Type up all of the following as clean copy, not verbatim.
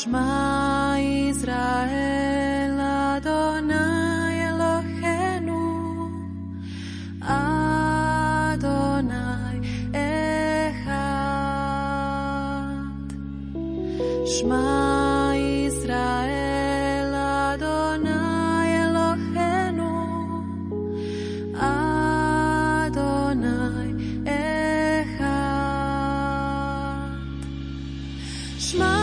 Shma Israel Adonai Eloheinu Adonai Echad. Shma Israel Adonai Eloheinu Adonai Echad. Shma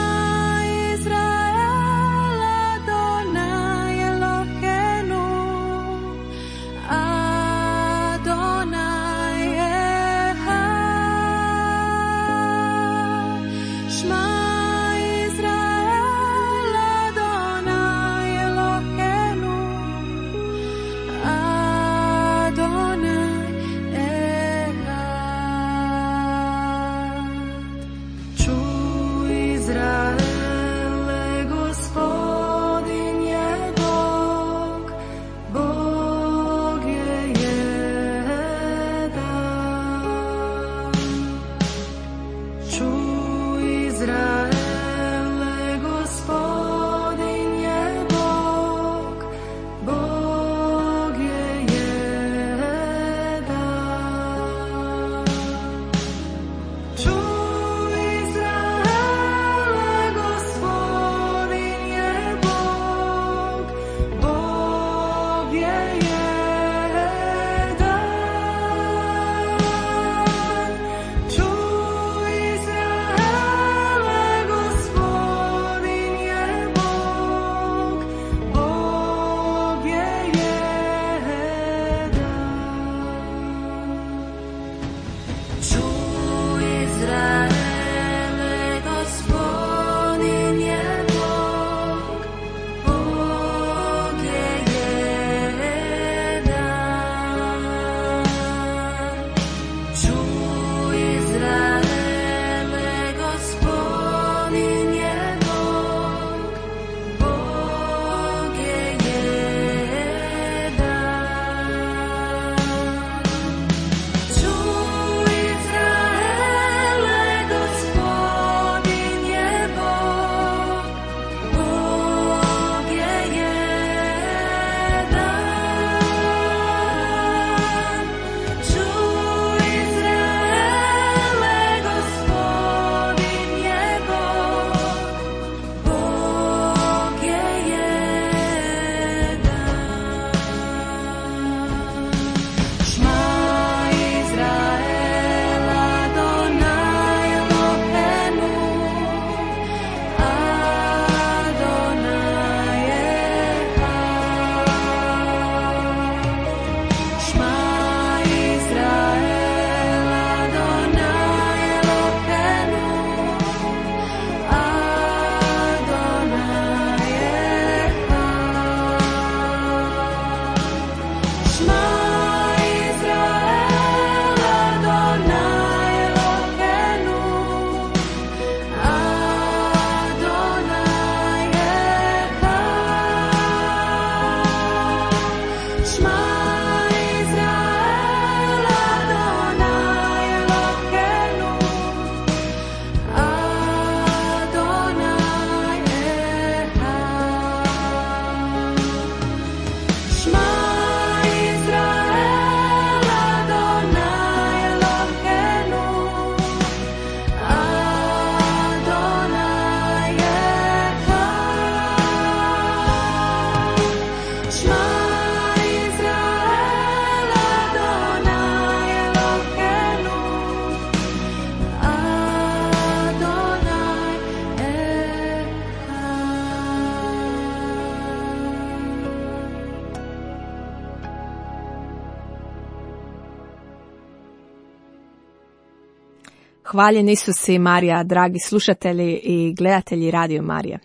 Hvaljen Isus i Marija, dragi slušatelji i gledatelji Radio Marije.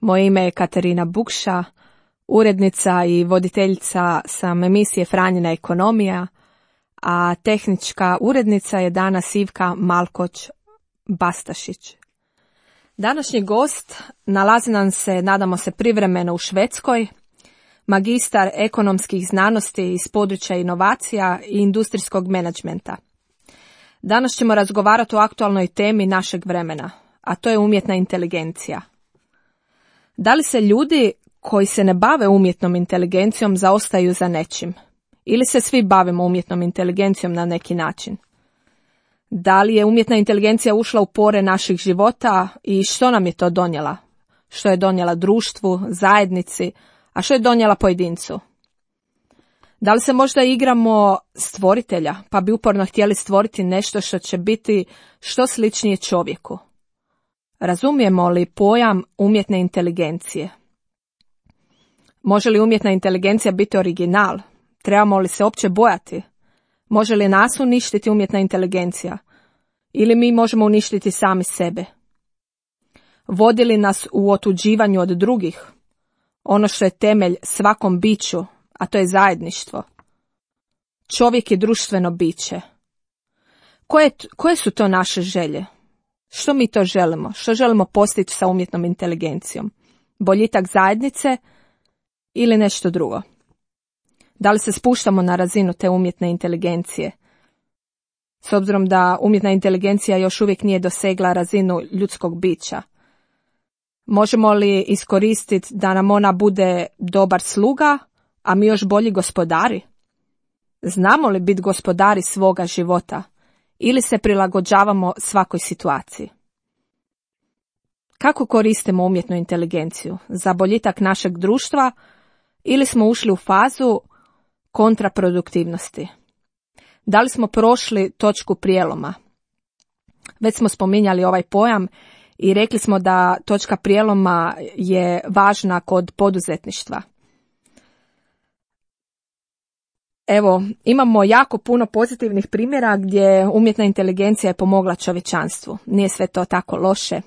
Moje ime je Katarina Bukša, urednica i voditeljica sam emisije Franjina ekonomija, a tehnička urednica je danas Ivka Malkoć-Bastašić. Današnji gost nalazi nam se, nadamo se, privremeno u Švedskoj, magistar ekonomskih znanosti iz područja inovacija i industrijskog menadžmenta. Danas ćemo razgovarati o aktualnoj temi našeg vremena, a to je umjetna inteligencija. Da li se ljudi koji se ne bave umjetnom inteligencijom zaostaju za nečim? Ili se svi bavimo umjetnom inteligencijom na neki način? Da li je umjetna inteligencija ušla u pore naših života i što nam je to donijela? Što je donijela društvu, zajednici, a što je donijela pojedincu? Da li se možda igramo stvoritelja, pa bi uporno htjeli stvoriti nešto što će biti što sličnije čovjeku? Razumijemo li pojam umjetne inteligencije? Može li umjetna inteligencija biti original? Trebamo li se uopće bojati? Može li nas uništiti umjetna inteligencija? Ili mi možemo uništiti sami sebe? Vodi li nas u otuđivanju od drugih? Ono što je temelj svakom biću, a to je zajedništvo. Čovjek je društveno biće. Koje su to naše želje? Što mi to želimo? Što želimo postići sa umjetnom inteligencijom? Boljitak zajednice ili nešto drugo? Da li se spuštamo na razinu te umjetne inteligencije? S obzirom da umjetna inteligencija još uvijek nije dosegla razinu ljudskog bića. Možemo li iskoristiti da nam ona bude dobar sluga, a mi još bolji gospodari? Znamo li biti gospodari svoga života ili se prilagođavamo svakoj situaciji? Kako koristimo umjetnu inteligenciju? Za boljitak našeg društva ili smo ušli u fazu kontraproduktivnosti? Da li smo prošli točku prijeloma? Već smo spominjali ovaj pojam i rekli smo da točka prijeloma je važna kod poduzetništva. Evo, imamo jako puno pozitivnih primjera gdje umjetna inteligencija je pomogla čovječanstvu. Nije sve to tako loše.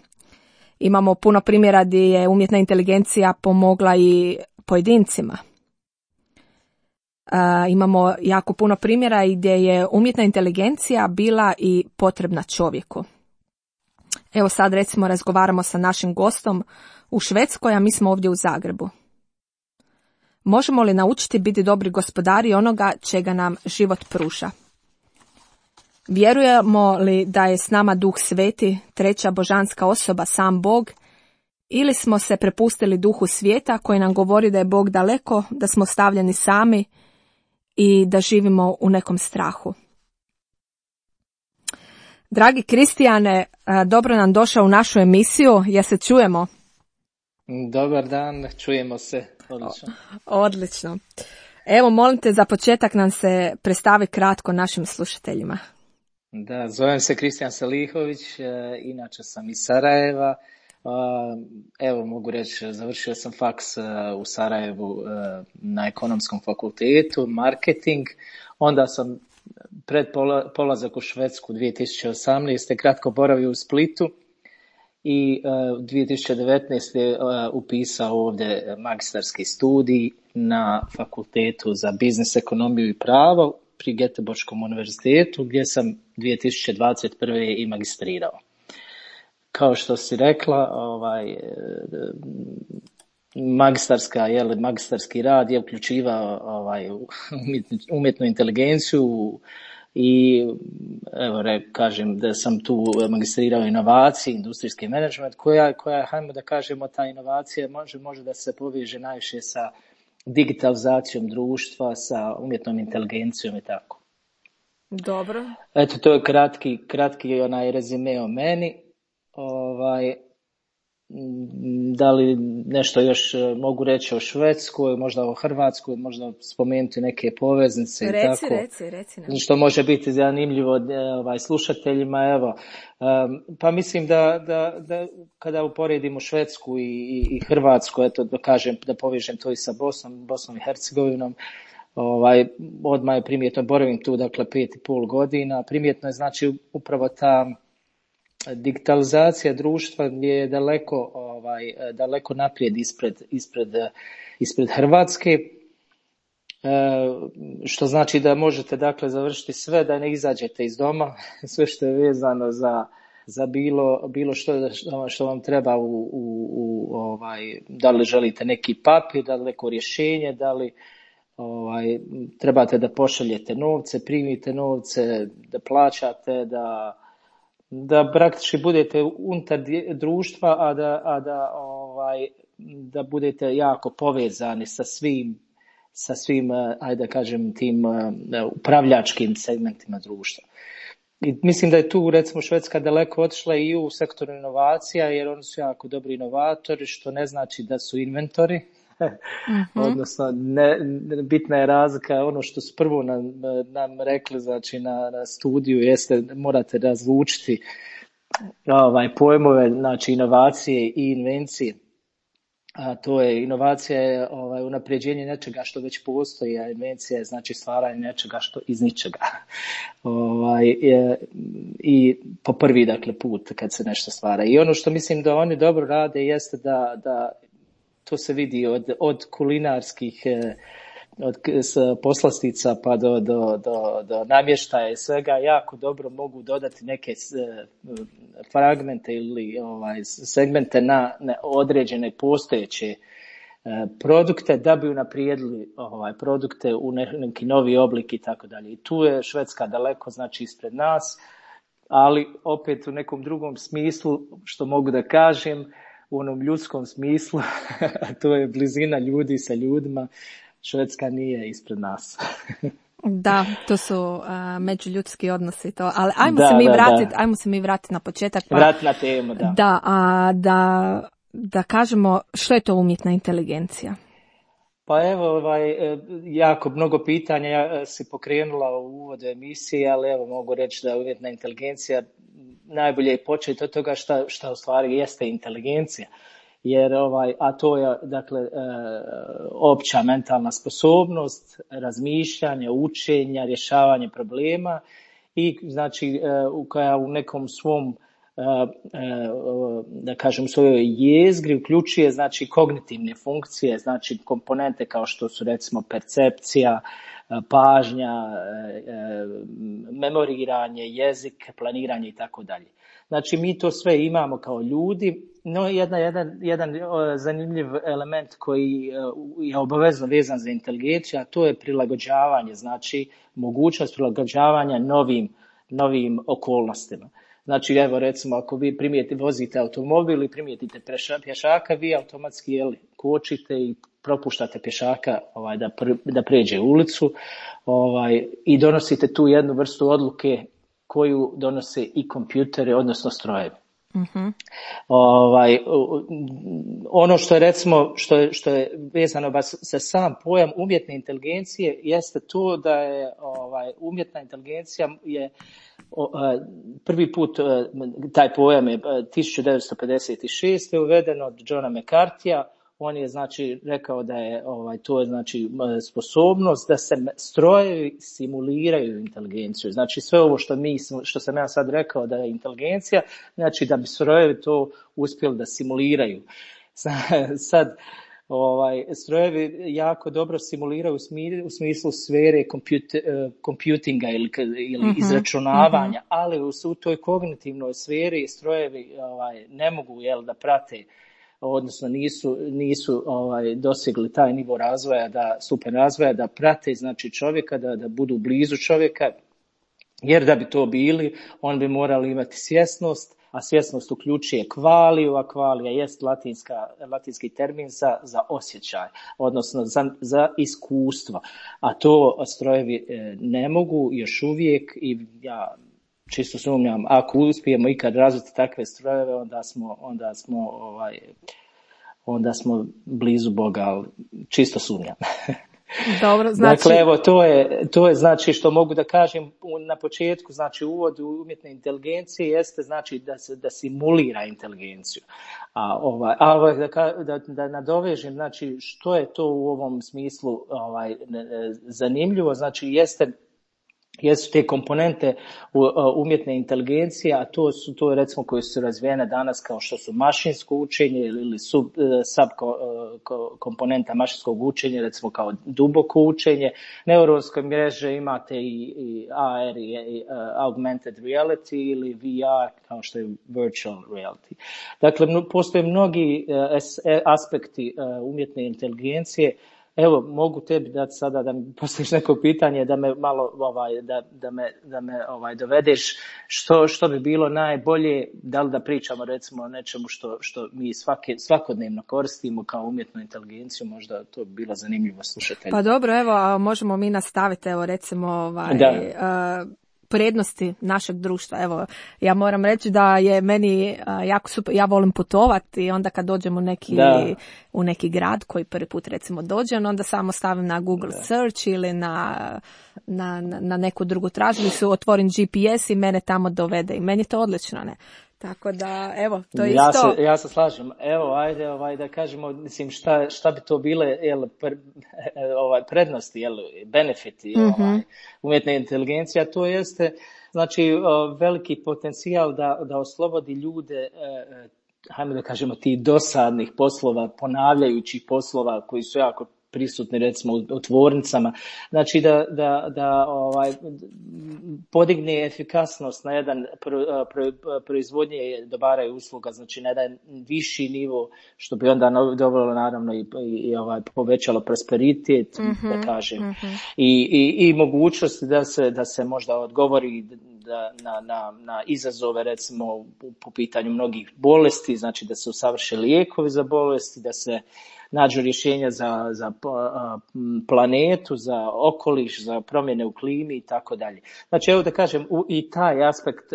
Imamo puno primjera gdje je umjetna inteligencija pomogla i pojedincima. Imamo jako puno primjera gdje je umjetna inteligencija bila i potrebna čovjeku. Evo sad recimo razgovaramo sa našim gostom u Švedskoj, a mi smo ovdje u Zagrebu. Možemo li naučiti biti dobri gospodari onoga čega nam život pruža? Vjerujemo li da je s nama Duh Sveti, treća božanska osoba, sam Bog, ili smo se prepustili duhu svijeta koji nam govori da je Bog daleko, da smo stavljeni sami i da živimo u nekom strahu? Dragi Kristijane, dobro nam došao u našu emisiju. Ja se čujemo? Dobar dan, čujemo se. Odlično. Odlično. Evo, molim te za početak nam se predstavi kratko našim slušateljima. Da, zovem se Kristijan Salihović, inače sam iz Sarajeva. Evo, mogu reći, završio sam faks u Sarajevu na ekonomskom fakultetu, marketing. Onda sam pred polazak u Švedsku 2018. kratko boravio u Splitu i 2019. upisao ovdje magistarski studij na fakultetu za biznis, ekonomiju i pravo pri Göteborgskom univerzitetu gdje sam 2021. i magistrirao. Kao što si rekla, magistarski rad je uključivao umjetnu inteligenciju i evo kažem da sam tu magistrirao inovaciji, industrijski menadžment koja hajmo da kažemo ta inovacija može da se poveže najviše sa digitalizacijom društva, sa umjetnom inteligencijom i tako. Dobro. Eto, to je kratki onaj rezime o meni. Da li nešto još mogu reći o Švedskoj, možda o Hrvatskoj, možda spomenuti neke poveznice i tako. Reci nam. Što može biti zanimljivo slušateljima. Evo, pa mislim da kada uporedimo Švedsku i Hrvatsku, eto da povežem to i sa Bosnom i Hercegovinom, odmah je primjetno, boravim tu dakle 5,5 godina, primjetno je znači upravo ta digitalizacija društva je daleko naprijed ispred Hrvatske, što znači da možete dakle završiti sve, da ne izađete iz doma, sve što je vezano za bilo što vam treba da li želite neki papir, da li neko rješenje, da li trebate da pošaljete novce, primite novce, da plaćate, da praktički budete unutar društva, a da da budete jako povezani sa svim, ajde da kažem, tim upravljačkim segmentima društva. I mislim da je tu recimo Švedska daleko otišla i u sektoru inovacija, jer oni su jako dobri inovatori, što ne znači da su inventori. Odnosno, bitna je razlika, ono što su prvo nam rekli, znači na studiju, jeste morate razlučiti pojmove, znači inovacije i invencije. A to je inovacija je unapređenje nečega što već postoji, a invencija je znači stvaranje nečega što iz ničega. I po prvi dakle put kad se nešto stvara. I ono što mislim da oni dobro rade jeste da to se vidi od kulinarskih od poslastica pa do namještaja i svega, jako dobro mogu dodati neke fragmente ili segmente na određene postojeće produkte da bi unaprijedili produkte u neki novi oblik i tako dalje. I tu je Švedska daleko znači ispred nas, ali opet u nekom drugom smislu, što mogu da kažem, u onom ljudskom smislu, to je blizina ljudi sa ljudima, Švedska nije ispred nas. Da, to su međuljudski odnosi to, ali ajmo se mi vratiti na početak. Vratiti na temu, da. Da, kažemo što je to umjetna inteligencija. Pa evo, jako mnogo pitanja si pokrenula u uvodu emisije, ali evo mogu reći da umjetna inteligencija najbolje je početi od toga šta u stvari jeste inteligencija. Jer a to je dakle opća mentalna sposobnost, razmišljanje, učenja, rješavanje problema i znači koja u nekom svom da kažem svojoj jezgri uključuje znači kognitivne funkcije, znači komponente kao što su recimo percepcija, pažnja, memoriranje, jezik, planiranje i tako dalje. Znači mi to sve imamo kao ljudi, no jedan zanimljiv element koji je obavezno vezan za inteligenciju, a to je prilagođavanje, znači mogućnost prilagođavanja novim okolnostima. Znači evo recimo ako vi vozite automobil i primijetite pješaka, vi automatski kočite i propuštate pješaka da pređe ulicu i donosite tu jednu vrstu odluke koju donose i kompjuteri, odnosno strojevi. Uh-huh. Ono što je recimo što je vezano sa sam pojam umjetne inteligencije jeste to da je umjetna inteligencija je prvi put taj pojam je 1956. uveden od Johna McCarthyja. On je znači rekao da je to je znači sposobnost da se strojevi simuliraju inteligenciju. Znači sve ovo što sam ja sad rekao da je inteligencija, znači da bi strojevi to uspjeli da simuliraju. Sad strojevi jako dobro simuliraju u smislu sfere computinga ili izračunavanja, ali u toj kognitivnoj sferi strojevi ne mogu da prate, odnosno nisu dosegli taj nivo razvoja, stupanj razvoja da prate znači čovjeka, da budu blizu čovjeka, jer da bi to bili, oni bi morali imati svjesnost, a svjesnost uključuje kvaliju, a kvalija jest latinski termin za osjećaj, odnosno za iskustvo, a to strojevi ne mogu još uvijek i ja čisto sumnjam, ako uspijemo ikad razviti takve strojeve, onda smo blizu Boga, ali čisto sumnjam. Dobro, znači... Dakle, evo, to je znači što mogu da kažem na početku, znači uvod u umjetne inteligencije jeste znači da simulira inteligenciju. Da nadovežem, znači što je to u ovom smislu zanimljivo, znači jesu te komponente umjetne inteligencije, a to je recimo koje su razvijene danas kao što su mašinsko učenje ili sub komponenta mašinskog učenja, recimo kao duboko učenje. Neuronske mreže imate i AR i augmented reality ili VR kao što je virtual reality. Dakle, postoje mnogi aspekti umjetne inteligencije Evo, mogu tebi dati sada da mi postaviš neko pitanje, da me malo da me dovedeš što bi bilo najbolje, da li da pričamo recimo o nečemu što mi svakodnevno koristimo kao umjetnu inteligenciju, možda to bi bilo zanimljivo slušatelji. Pa dobro, evo, možemo mi nastaviti, evo recimo prednosti našeg društva. Evo, ja moram reći da je meni jako super, ja volim putovati i onda kad dođem u neki grad koji prvi put recimo dođem, onda samo stavim na Google search ili na neku drugu tražilicu, otvorim GPS i mene tamo dovede i meni je to odlično, ne? Tako da, evo, to je isto... Ja se slažem. Evo, ajde da kažemo, mislim, šta bi to bile prednosti, benefiti umjetne inteligencije, a to jeste, znači, veliki potencijal da oslobodi ljude, hajmo da kažemo, tih dosadnih poslova, ponavljajućih poslova koji su jako prisutni recimo u tvornicama, znači da podigne efikasnost na jedan proizvodnje dobara i usluga, znači na jedan viši nivo, što bi onda dovelo naravno i povećalo prosperitet, da kažem, i mogućnosti da se možda odgovori na izazove recimo po pitanju mnogih bolesti, znači da se usavrše lijekovi za bolesti, da se nađu rješenja za planetu, za okoliš, za promjene u klimi i tako dalje. Znači, evo da kažem, i taj aspekt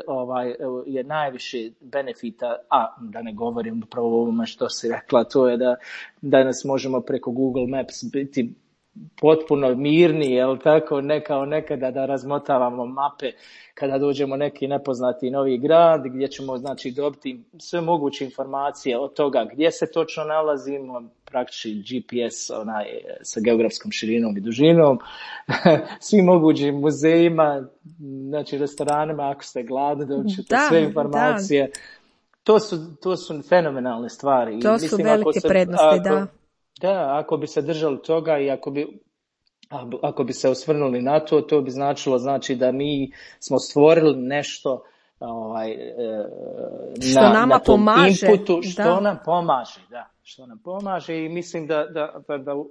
je najviše benefita, a da ne govorim upravo o ovome što si rekla, to je da danas možemo preko Google Maps biti potpuno mirni, jel tako, ne kao nekada da razmotavamo mape kada dođemo u neki nepoznati novi grad, gdje ćemo znači dobiti sve moguće informacije od toga gdje se točno nalazimo, praktički GPS sa geografskom širinom i dužinom, svim mogućim muzejima, znači restoranima, ako ste gladni, dobite sve informacije. To su fenomenalne stvari. To su velike prednosti, da. Da, ako bi se držali toga i ako bi se osvrnuli na to bi značilo znači da mi smo stvorili nešto što nama pomaže, inputu, što nam pomaže, što nam pomaže i mislim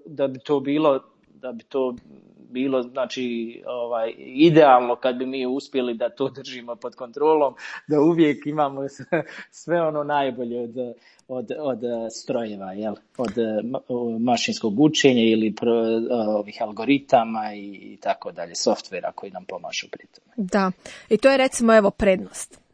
da bi to bilo znači idealno kad bi mi uspjeli da to držimo pod kontrolom, da uvijek imamo sve ono najbolje od strojeva, od mašinskog učenja ili ovih algoritama i tako dalje, softvera koji nam pomažu pri tome. Da, i to je recimo evo prednost.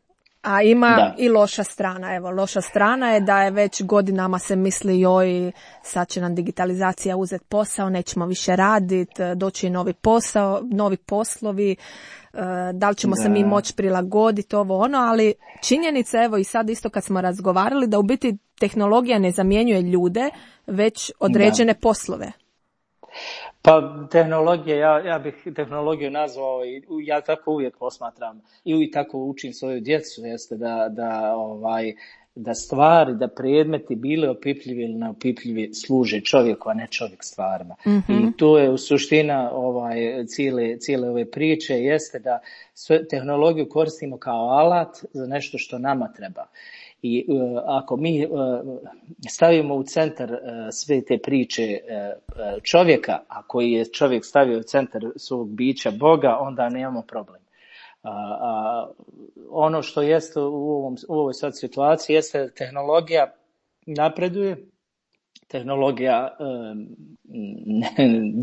A ima i loša strana. Evo, loša strana je da je već godinama se misli joj, sad će nam digitalizacija uzeti posao, nećemo više raditi, doći novi posao, novi poslovi, da li ćemo se mi moći prilagoditi ovo ono, ali činjenica, evo i sad isto kad smo razgovarali, da u biti tehnologija ne zamjenjuje ljude, već određene poslove. Pa tehnologija, ja bih tehnologiju nazvao, i ja tako uvijek posmatram i tako učim svoju djecu, jeste da stvari, da predmeti bili opipljivi ili neopipljivi služe čovjeku, a ne čovjek stvarima. I to je u suština cijele ove priče, jeste da tehnologiju koristimo kao alat za nešto što nama treba. I ako mi stavimo u centar sve te priče čovjeka, a koji je čovjek stavio u centar svog bića Boga, onda nemamo problem. Ono što jeste u ovoj sad situaciji jeste da tehnologija napreduje, tehnologija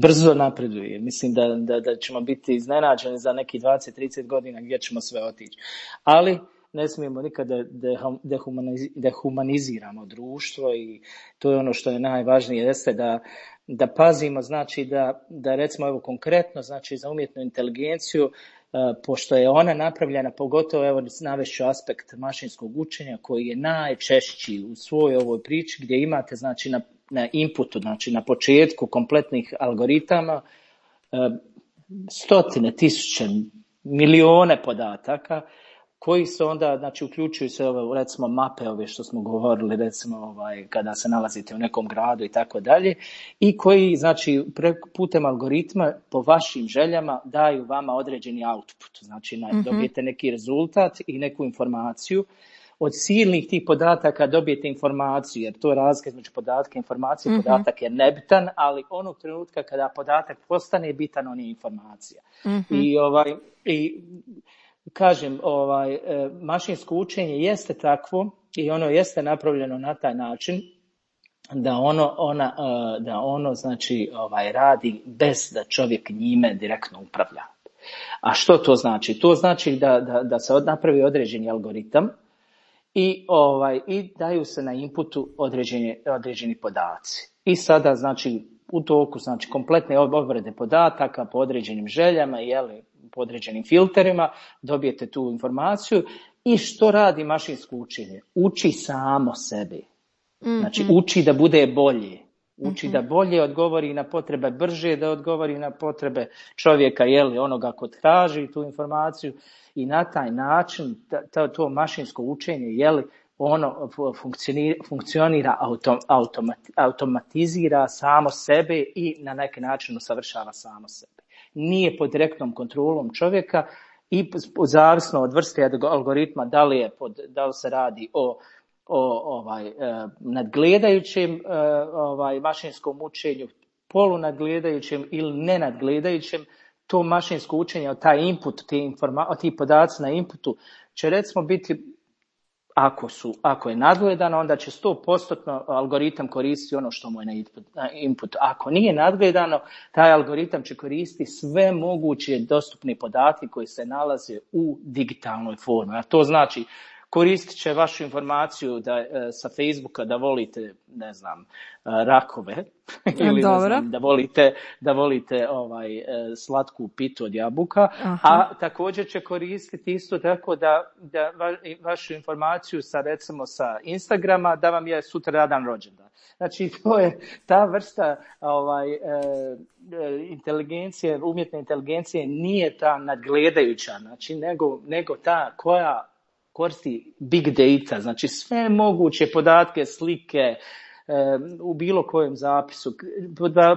brzo napreduje. Mislim da ćemo biti iznenađeni za neki 20-30 godina gdje ćemo sve otići. Ali ne smijemo nikada dehumaniziramo društvo i to je ono što je najvažnije, jeste da pazimo, znači da recimo evo konkretno, znači za umjetnu inteligenciju, pošto je ona napravljena, pogotovo evo navešću aspekt mašinskog učenja koji je najčešći u svojoj ovoj priči, gdje imate znači na inputu, znači na početku kompletnih algoritama stotine, tisuće, milijone podataka koji se onda, znači uključuju se ove recimo mape ove što smo govorili recimo kada se nalazite u nekom gradu i tako dalje, i koji znači putem algoritma po vašim željama daju vama određeni output, znači dobijete neki rezultat i neku informaciju od silnih tih podataka dobijete informaciju, jer to je razlika između podatka i informacije. Podatak je nebitan, ali onog trenutka kada podatak postane bitan, on je informacija. I kažem, mašinsko učenje jeste takvo i ono jeste napravljeno na taj način da ono znači radi bez da čovjek njime direktno upravlja. A što to znači? To znači da se napravi određeni algoritam i daju se na inputu određeni podaci. I sada znači u toku znači kompletne obrade podataka po određenim željama, po određenim filterima dobijete tu informaciju. I što radi mašinsko učenje? Uči samo sebi. Znači uči da bude bolje. Uči da bolje odgovori na potrebe, brže da odgovori na potrebe čovjeka, onoga ko traži tu informaciju, i na taj način to mašinsko učenje, ono funkcionira, automatizira samo sebe i na neki način usavršava samo sebe. Nije pod direktnom kontrolom čovjeka i zavisno od vrste algoritma, da li se radi o nadgledajućem mašinskom učenju, polunadgledajućem ili nenadgledajućem, to mašinsko učenje, taj input, ti podaci na inputu će recimo biti, ako je nadgledano, onda će 100% algoritam koristiti ono što mu je na input. Ako nije nadgledano, taj algoritam će koristiti sve moguće dostupne podatke koji se nalaze u digitalnoj formi. A to znači, koristit će vašu informaciju sa Facebooka da volite, ne znam, rakove ili ne znam, da volite slatku pitu od jabuka. Aha. A također će koristiti isto tako da vašu informaciju recimo sa Instagrama da vam je sutradan rođendan. Znači to je ta vrsta inteligencije, umjetne inteligencije nije ta nadgledajuća, znači nego ta koja koristi big data, znači sve moguće podatke, slike, u bilo kojem zapisu,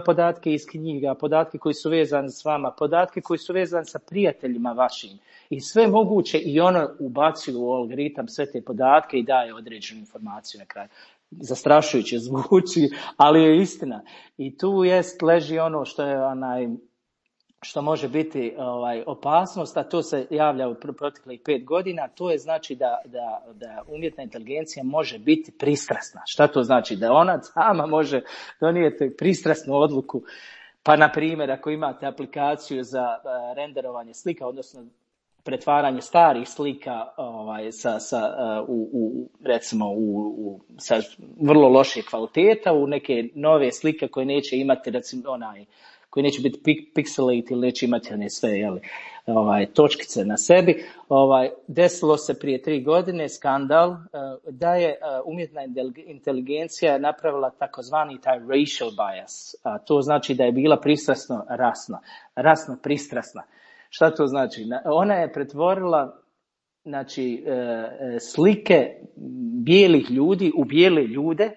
podatke iz knjiga, podatke koji su vezani s vama, podatke koji su vezani sa prijateljima vašim i sve moguće, i ono ubacuje u algoritam sve te podatke i daje određenu informaciju na kraju. Zastrašujuće zvuči, ali je istina. I tu leži ono što je što može biti opasnost, a to se javlja u proteklih 5 godina, to je znači da umjetna inteligencija može biti pristrasna. Šta to znači? Da ona sama može donijeti pristrasnu odluku. Pa, na primjer, ako imate aplikaciju za renderovanje slika, odnosno pretvaranje starih slika recimo sa vrlo loše kvaliteta u neke nove slike koje neće imati, recimo koji neće biti pixelate ili neće imati sve točkice na sebi. Desilo se prije 3 godine skandal da je umjetna inteligencija napravila takozvani taj racial bias. A to znači da je bila rasno pristrasna. Šta to znači? Ona je pretvorila slike bijelih ljudi u bijele ljude,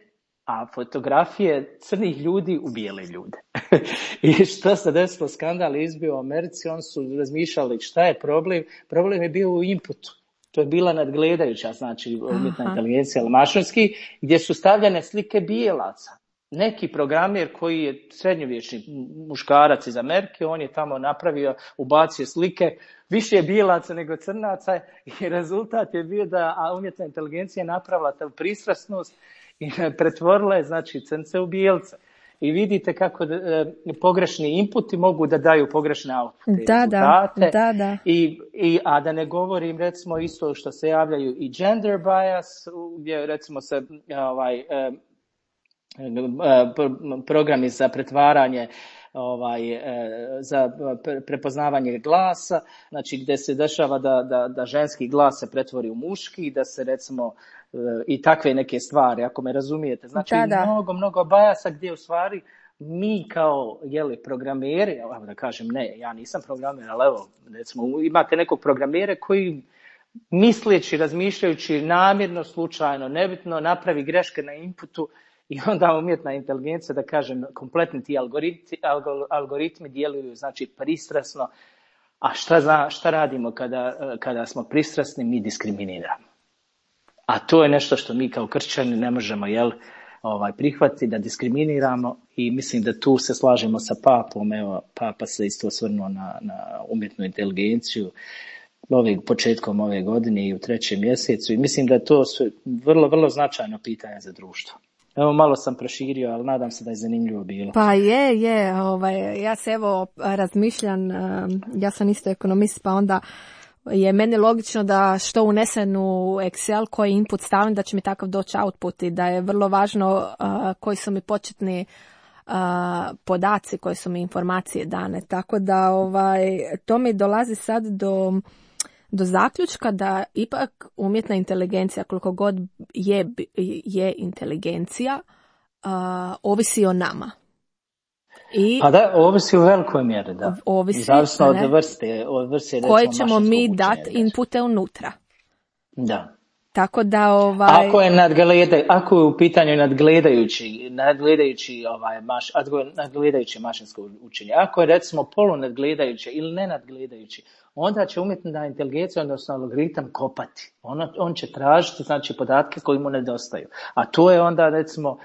a fotografije crnih ljudi u bijele ljude. I što se desilo, skandal izbio u Americi, oni su razmišljali šta je problem. Problem je bio u inputu. To je bila nadgledajuća, znači umjetna inteligencija, ali mašinski, gdje su stavljene slike bijelaca. Neki programer koji je srednjovječni muškarac iz Amerike, on je tamo napravio, ubacio slike, više bijelaca nego crnaca, i rezultat je bio da umjetna inteligencija je napravila tu pristrasnost i pretvorila je, znači, crnce u bijelce. I vidite kako pogrešni inputi mogu da daju pogrešne rezultate. Da. A da ne govorim, recimo, isto što se javljaju i gender bias, gdje recimo se programi za pretvaranje, za prepoznavanje glasa, znači gdje se dešava da ženski glas se pretvori u muški, da se recimo i takve neke stvari, ako me razumijete. Znači mnogo bajasa gdje u stvari mi kao programeri, da kažem ne, ja nisam programer, ali evo, recimo imate nekog programera koji misleći, razmišljajući namjerno, slučajno, nebitno, napravi greške na inputu i onda umjetna inteligencija, da kažem, kompletni ti algoritmi djeluju, znači pristrasno. A šta radimo kada smo pristrasni? Mi diskriminiramo. A to je nešto što mi kao kršćani ne možemo prihvatiti, da diskriminiramo, i mislim da tu se slažemo sa papom. Evo, papa se isto osvrnuo na umjetnu inteligenciju početkom ove godine i u 3. mjesecu, i mislim da je to vrlo, vrlo značajno pitanje za društvo. Evo, malo sam proširio, ali nadam se da je zanimljivo bilo. Pa je, ja se razmišljam, ja sam isto ekonomist, pa onda je meni logično da što unesem u Excel, koji input stavim, da će mi takav doći output, i da je vrlo važno koji su mi početni podaci, koje su mi informacije dane. Tako da to mi dolazi sad do zaključka da ipak umjetna inteligencija, koliko god je inteligencija, ovisi o nama. Pa da, ovisi u velikoj mjeri, da. Ovisi, zavisno od vrste koje ćemo mi dati inpute unutra. Da. Tako da ako je u pitanju nadgledajuće mašinsko učenje, ako je recimo polunadgledajuće ili nenadgledajuće, onda će umjetna inteligencija, odnosno algoritam, kopati. On će tražiti, znači, podatke koji mu nedostaju. A to je onda, recimo,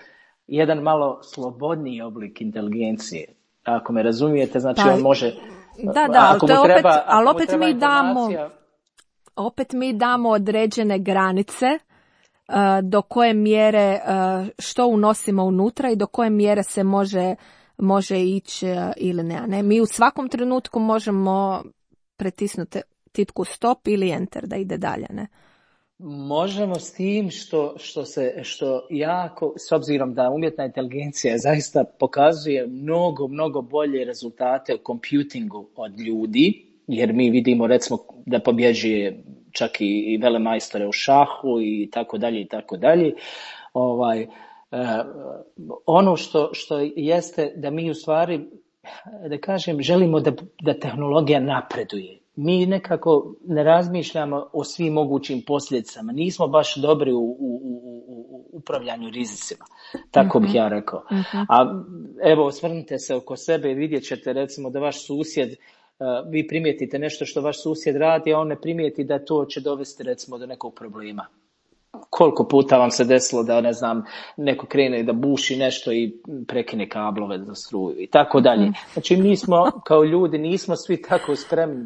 jedan malo slobodniji oblik inteligencije. Ako me razumijete, znači on može... Da, ali opet mi damo određene granice do koje mjere što unosimo unutra i do koje mjere se može ići ili ne. Mi u svakom trenutku možemo pritisnuti tipku stop ili enter da ide dalje, ne? Možemo, s tim što jako, s obzirom da umjetna inteligencija zaista pokazuje mnogo bolje rezultate u computingu od ljudi, jer mi vidimo, recimo, da pobjeđuje čak i velemajstore u šahu i tako dalje i tako dalje. Ono što jeste da mi u stvari, da kažem, želimo da tehnologija napreduje. Mi nekako ne razmišljamo o svim mogućim posljedicama. Nismo baš dobri u upravljanju rizicima. Tako bih ja rekao. A evo, osvrnite se oko sebe i vidjet ćete, recimo, da vaš susjed, vi primijetite nešto što vaš susjed radi, a on ne primijeti da to će dovesti, recimo, do nekog problema. Koliko puta vam se desilo da, ne znam, neko krene da buši nešto i prekine kablove za struju i tako dalje. Znači, mi smo kao ljudi nismo svi tako spremni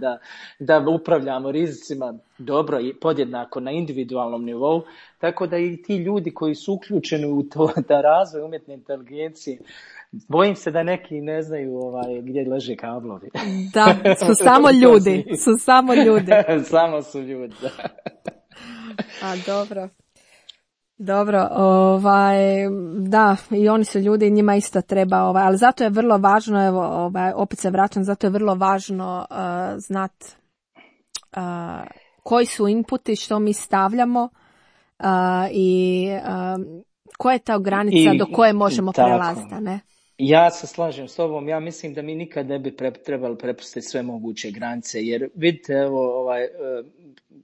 da upravljamo rizicima dobro i podjednako na individualnom nivou, tako da i ti ljudi koji su uključeni u to da razvoj umjetne inteligencije, bojim se da neki ne znaju gdje leže kablovi. Da, su samo ljudi. Samo su ljudi, da. A dobro, da, i oni su ljudi, njima isto treba, ali zato je vrlo važno, evo, opet se vraćam, zato je vrlo važno znati koji su inputi, što mi stavljamo i koja je ta granica do koje možemo prelaziti, ne? Ja se slažem s tobom, ja mislim da mi nikad ne bi trebali prepustiti sve moguće granice, jer vidite, evo,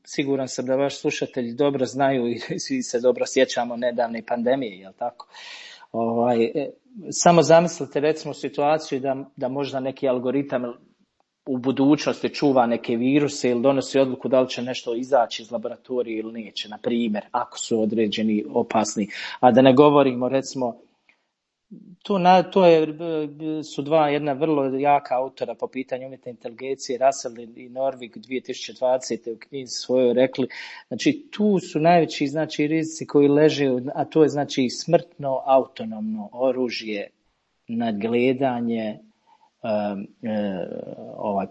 siguran sam da vaši slušatelji dobro znaju i svi se dobro sjećamo nedavne pandemije, jel tako? Samo zamislite, recimo, situaciju da možda neki algoritam u budućnosti čuva neke viruse ili donosi odluku da li će nešto izaći iz laboratorija ili neće, na primjer, ako su određeni opasni. A da ne govorimo, recimo, su jedna vrlo jaka autora po pitanju umjetne inteligencije, Russell i Norvig 2020. u knjizi svojoj rekli, znači tu su najveći, znači, rizici koji leže, a to je, znači, smrtno autonomno oružje, nadgledanje,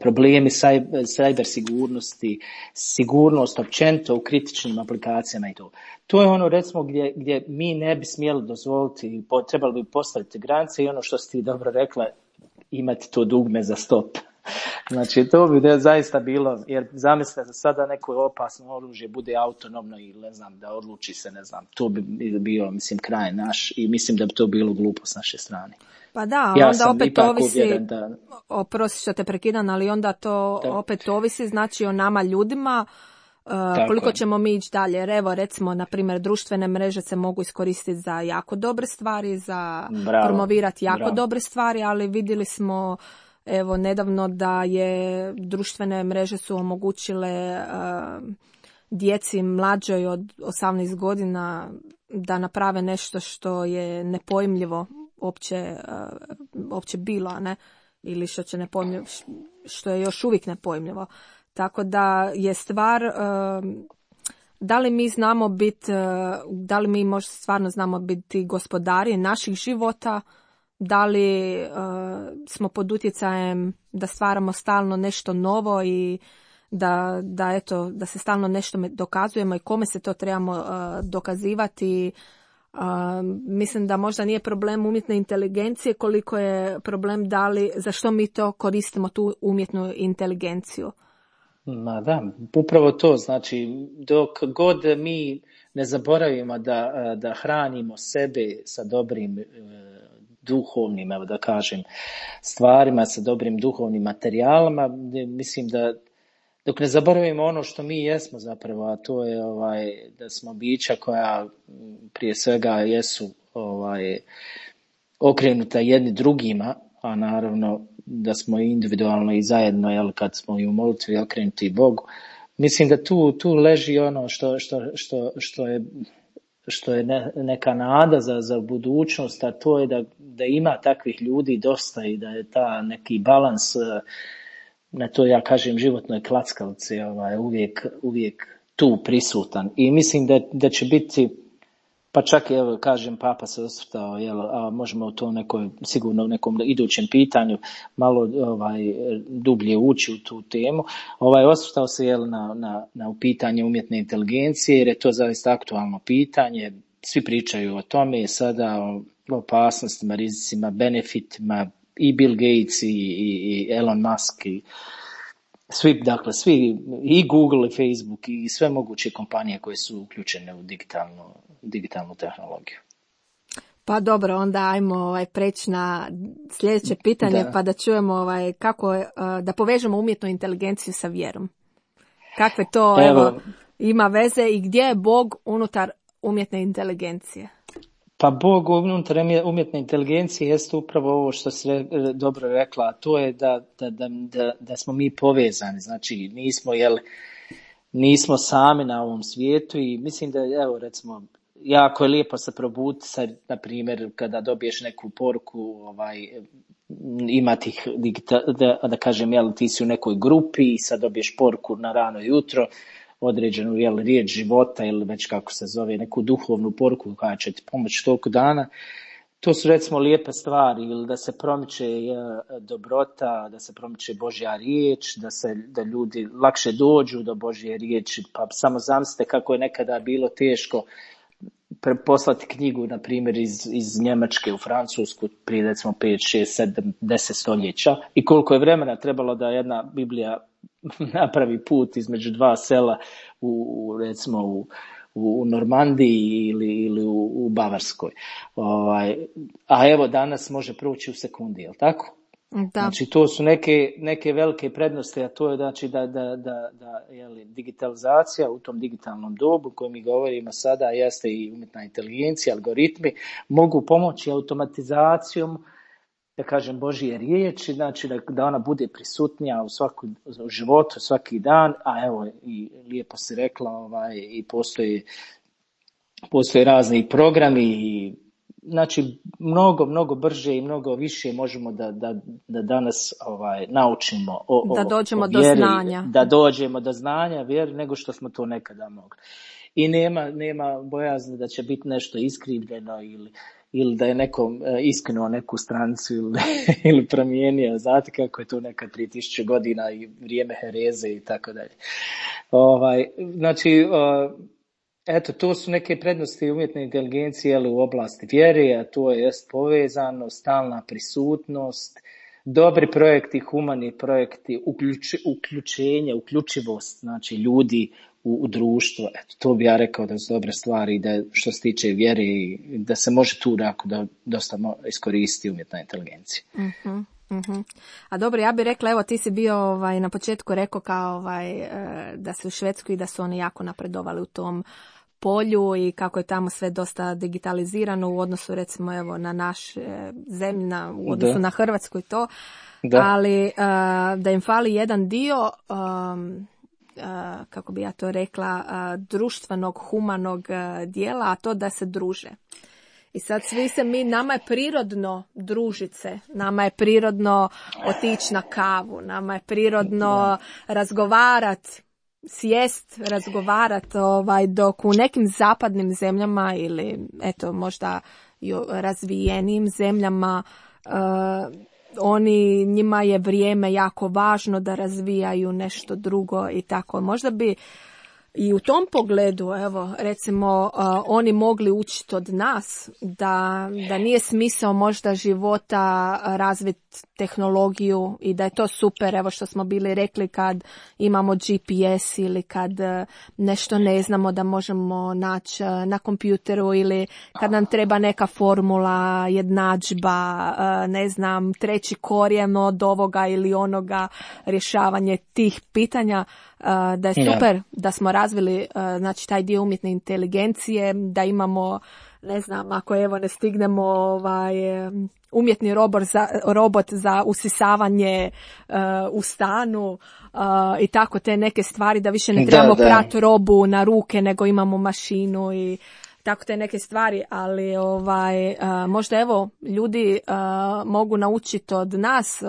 problemi cyber sigurnosti, sigurnost općenito u kritičnim aplikacijama i to. To je ono, recimo, gdje mi ne bi smjeli dozvoliti, trebali bi postaviti granice i ono što si ti dobro rekla, imati to dugme za stop. Znači, to bi zaista bilo, jer zamislite da sada neko opasno oružje bude autonomno i, ne znam, da odluči se, ne znam, to bi bio, mislim, kraj naš i mislim da bi to bilo glupo s naše strane. Pa da, onda opet ovisi, oprosti što te prekidam, ali onda to opet ovisi, znači, o nama ljudima, koliko ćemo mi ići dalje. Jer evo, recimo, na primjer, društvene mreže se mogu iskoristiti za jako dobre stvari, za promovirati jako dobre stvari, ali vidjeli smo, evo, nedavno da je društvene mreže su omogućile djeci mlađoj od 18 godina da naprave nešto što je nepojmljivo opće bilo, ne? Ili što je još uvijek nepojmljivo. Tako da je stvar, da li mi znamo biti, da li mi možda stvarno znamo biti gospodari naših života, da li smo pod utjecajem da stvaramo stalno nešto novo i da se stalno nešto dokazujemo i kome se to trebamo dokazivati. Mislim da možda nije problem umjetne inteligencije koliko je problem za što mi to koristimo tu umjetnu inteligenciju. Ma da, upravo to, znači dok god mi ne zaboravimo da hranimo sebe sa dobrim duhovnim, evo da kažem, stvarima, sa dobrim duhovnim materijalima, mislim da dok ne zaboravimo ono što mi jesmo zapravo, a to je da smo bića koja prije svega jesu okrenuta jedni drugima, a naravno da smo individualno i zajedno, jel, kad smo i u molitvi okrenuti Bogu. Mislim da tu leži ono što je neka nada za budućnost, a to je da ima takvih ljudi dosta i da je ta neki balans na to, ja kažem, životnoj klackalici uvijek tu prisutan. I mislim da će biti, pa čak evo kažem, Papa se osvrtao, a možemo u to sigurno u nekom idućem pitanju malo dublje ući u tu temu. Osvrtao se na pitanje umjetne inteligencije, jer je to zaista aktualno pitanje. Svi pričaju o tome sada, o opasnostima, rizicima, benefitima, i Bill Gates i Elon Musk i svi i Google i Facebook i sve moguće kompanije koje su uključene u digitalnu tehnologiju. Pa dobro, onda ajmo preći na sljedeće pitanje, pa da čujemo kako da povežemo umjetnu inteligenciju sa vjerom. Kakve to ima veze i gdje je Bog unutar umjetne inteligencije? Pa Bog unutar umjetne inteligencije jeste upravo ovo što si dobro rekla, a to je da smo mi povezani, znači nismo sami na ovom svijetu i mislim da, evo recimo, jako je lijepo se probuditi, na primjer, kada dobiješ neku poruku, ima tih, da kažem, ti si u nekoj grupi i sad dobiješ poruku na rano jutro, određenu riječ života ili već kako se zove, neku duhovnu poruku koja će ti pomoći toliko dana. To su recimo lijepe stvari, ili da se promiče dobrota, da se promiče Božja riječ, da ljudi lakše dođu do Božje riječi. Pa samo zamislite kako je nekada bilo teško poslati knjigu, na primjer, iz Njemačke u Francusku prije recimo 5, 6, 7, 10 stoljeća i koliko je vremena trebalo da jedna Biblija napravi put između dva sela recimo u Normandiji ili u Bavarskoj. A evo danas može proći u sekundi, je li tako? Da. Znači to su neke velike prednosti, a to je znači da digitalizacija u tom digitalnom dobu kojem mi govorimo sada jeste i umjetna inteligencija, algoritmi mogu pomoći automatizacijom, da kažem, Božje riječi, znači da ona bude prisutnija u životu svaki dan, a evo i lijepo si rekla, i postoje razni programi i znači mnogo brže i mnogo više možemo da danas naučimo da dođemo o vjeri, do znanja. Da dođemo do znanja vjeri nego što smo to nekada mogli. I nema bojazni da će biti nešto iskrivljeno ili da je nekom iskinuo neku stranicu ili promijenio. Znate kako je to nekad 3000 godina i vrijeme hereze i tako dalje. Znači, eto, to su neke prednosti umjetne inteligencije u oblasti vjere, a to je povezano, stalna prisutnost, dobri projekti, humani projekti, uključivost, znači ljudi u društvo. Eto, to bi ja rekao da su dobre stvari, da što se tiče vjere i da se može tu da dosta iskoristiti umjetna inteligencija. Uh-huh. Uh-huh. A dobro, ja bih rekla, evo ti si bio na početku rekao kao da su u Švedskoj i da su oni jako napredovali u tom polju i kako je tamo sve dosta digitalizirano u odnosu recimo evo na naš zemlji, u odnosu na Hrvatsku i to, ali da im fali jedan dio kako bi ja to rekla, društvenog, humanog dijela, a to da se druže. I sad nama je prirodno družit se, nama je prirodno otići na kavu, nama je prirodno razgovarati, sjest, razgovarati, dok u nekim zapadnim zemljama ili eto možda i razvijenim zemljama njima je vrijeme jako važno da razvijaju nešto drugo i tako. Možda bi i u tom pogledu, evo, recimo, oni mogli učiti od nas da nije smisao možda života razviti tehnologiju i da je to super, evo što smo bili rekli kad imamo GPS ili kad nešto ne znamo da možemo naći na kompjuteru ili kad nam treba neka formula, jednadžba, ne znam, treći korijen od ovoga ili onoga, rješavanje tih pitanja. Da je super da smo razvili znači taj dio umjetne inteligencije, da ne znam, ako evo ne stignemo umjetni robot za usisavanje u stanu i tako te neke stvari, da više ne trebamo prati robu na ruke nego imamo mašinu i tako te neke stvari, ali možda evo ljudi mogu naučiti od nas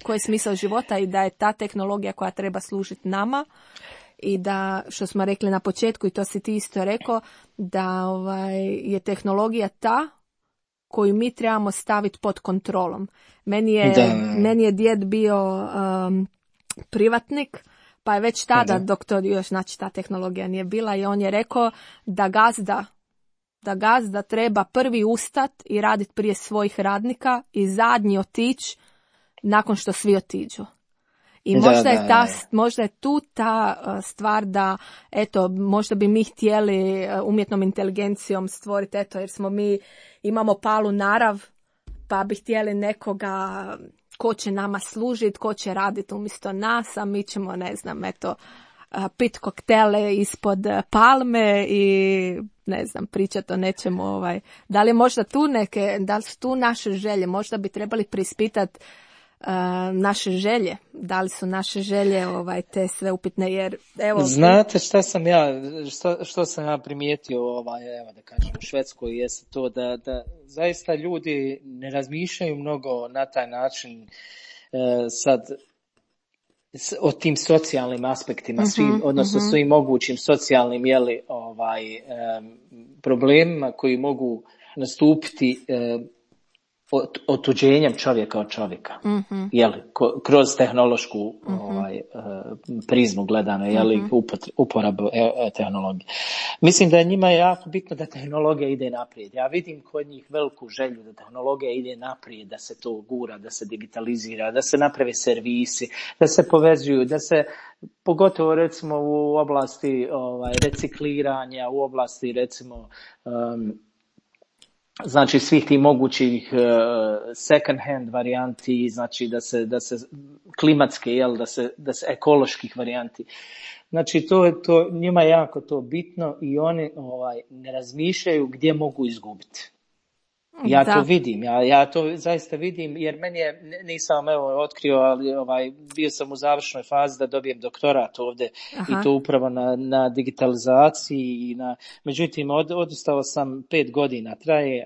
koji je smisao života i da je ta tehnologija koja treba služiti nama i da, što smo rekli na početku i to si ti isto rekao, da je tehnologija ta koju mi trebamo staviti pod kontrolom. Meni je djed bio privatnik, pa je već tada, dok to još znači ta tehnologija nije bila, i on je rekao da gazda treba prvi ustat i raditi prije svojih radnika i zadnji otići nakon što svi otiđu. I možda je tu ta stvar da, eto, možda bi mi htjeli umjetnom inteligencijom stvoriti, eto, jer imamo palu narav, pa bi htjeli nekoga ko će nama služiti, ko će raditi umjesto nas, a mi ćemo, ne znam, eto, pit koktele ispod palme i ne znam, pričati o nečemu. Da li je možda da li su tu naše želje? Možda bi trebali preispitati naše želje. Da li su naše želje te sve upitne? Jer, evo, znate što sam ja primijetio evo da kažem u Švedskoj, jeste to da zaista ljudi ne razmišljaju mnogo na taj način sad o tim socijalnim aspektima, odnosno svim mogućim socijalnim problemima koji mogu nastupiti otuđenjem čovjeka od čovjeka, kroz tehnološku prizmu gledano, uporabu tehnologije. Mislim da je njima jako bitno da tehnologija ide naprijed. Ja vidim kod njih veliku želju da tehnologija ide naprijed, da se to gura, da se digitalizira, da se naprave servisi, da se povezuju, da se, pogotovo recimo u oblasti recikliranja, u oblasti recimo znači svih tih mogućih second hand varijanti, znači da se klimatske, da se ekoloških varijanti. Znači to njima je jako to bitno i oni ne razmišljaju gdje mogu izgubiti. Ja to vidim, ja to zaista vidim, jer meni je, nisam otkrio, ali bio sam u završnoj fazi da dobijem doktorat ovdje. Aha. I to upravo na digitalizaciji međutim odustao sam 5 godina, traje,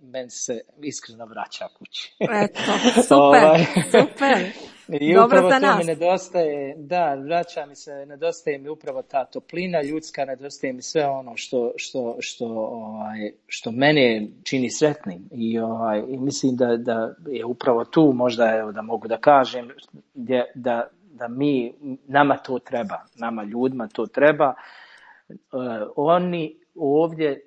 meni se iskreno vraća kući. Eto, super, super. I dobro upravo za to nas. Mi nedostaje, vraća mi se, nedostaje mi upravo ta toplina ljudska, nedostaje mi sve ono što mene čini sretnim i mislim da je upravo tu možda, da mogu da kažem, da nama to treba, nama ljudima to treba. Oni ovdje,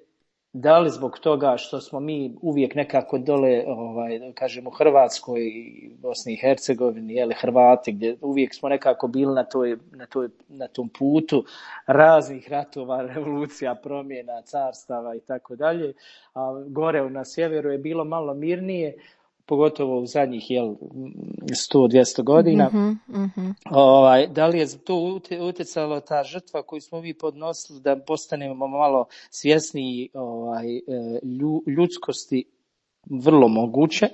da li zbog toga što smo mi uvijek nekako dole, kažem u Hrvatskoj i Bosni i Hercegovini, Hrvati, gdje uvijek smo nekako bili na tom putu raznih ratova, revolucija, promjena, carstava i tako dalje, a gore na sjeveru je bilo malo mirnije, pogotovo u zadnjih 100-200 godina. Da li je to utjecalo ta žrtva koju smo mi podnosili da postanemo malo svjesniji ljudskosti? Vrlo moguće,